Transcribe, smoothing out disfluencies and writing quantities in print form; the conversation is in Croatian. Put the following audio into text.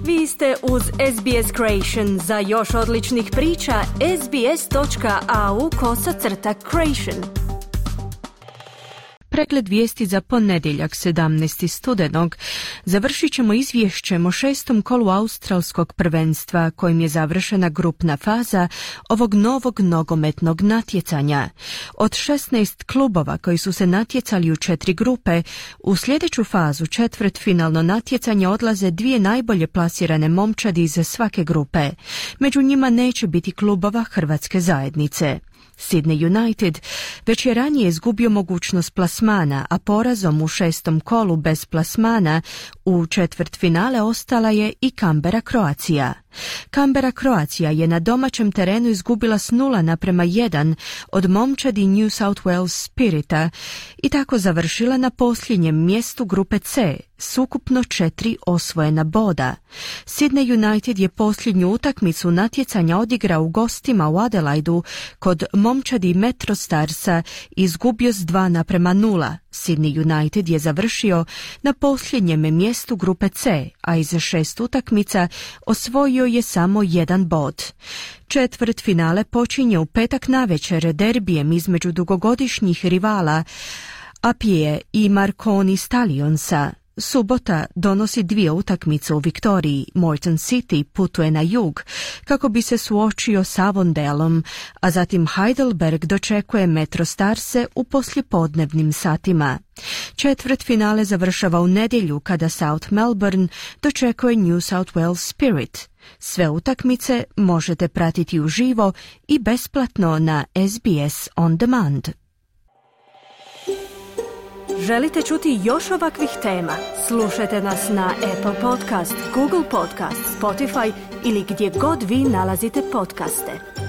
Vi ste uz SBS Creation. Za još odličnih priča, sbs.au/creation. Pregled vijesti za ponedjeljak 17. studenog. Završit ćemo izvješćem o 6. kolu australskog prvenstva kojim je završena grupna faza ovog novog nogometnog natjecanja. Od 16 klubova koji su se natjecali u 4 grupe, u sljedeću fazu četvrtfinalno natjecanje odlaze 2 najbolje plasirane momčadi iz svake grupe. Među njima neće biti klubova Hrvatske zajednice. Sydney United već je ranije izgubio mogućnost plasmana, a porazom u 6. kolu bez plasmana u četvrtfinale ostala je i Canberra Croatia. Canberra Croatia je na domaćem terenu izgubila s 0:1 od momčadi New South Wales Spirita i tako završila na posljednjem mjestu grupe C s ukupno 4 osvojena boda. Sydney United je posljednju utakmicu natjecanja odigrao u gostima u Adelaidu kod momčadi Metro Starsa i izgubio s 2:0. Sydney United je završio na posljednjem mjestu grupe C, a iz 6 utakmica osvojio je samo 1 bod. Četvrtfinale počinje u petak navečer derbijem između dugogodišnjih rivala Apije i Marconi Stallionsa. Subota donosi 2 utakmice u Viktoriji. Moreton City putuje na jug kako bi se suočio s Avondaleom, a zatim Heidelberg dočekuje Metro Starse u poslijepodnevnim satima. Četvrtfinale završava u nedjelju kada South Melbourne dočekuje New South Wales Spirit. Sve utakmice možete pratiti uživo i besplatno na SBS On Demand. Želite čuti još ovakvih tema? Slušajte nas na Apple Podcast, Google Podcast, Spotify ili gdje god vi nalazite podcaste.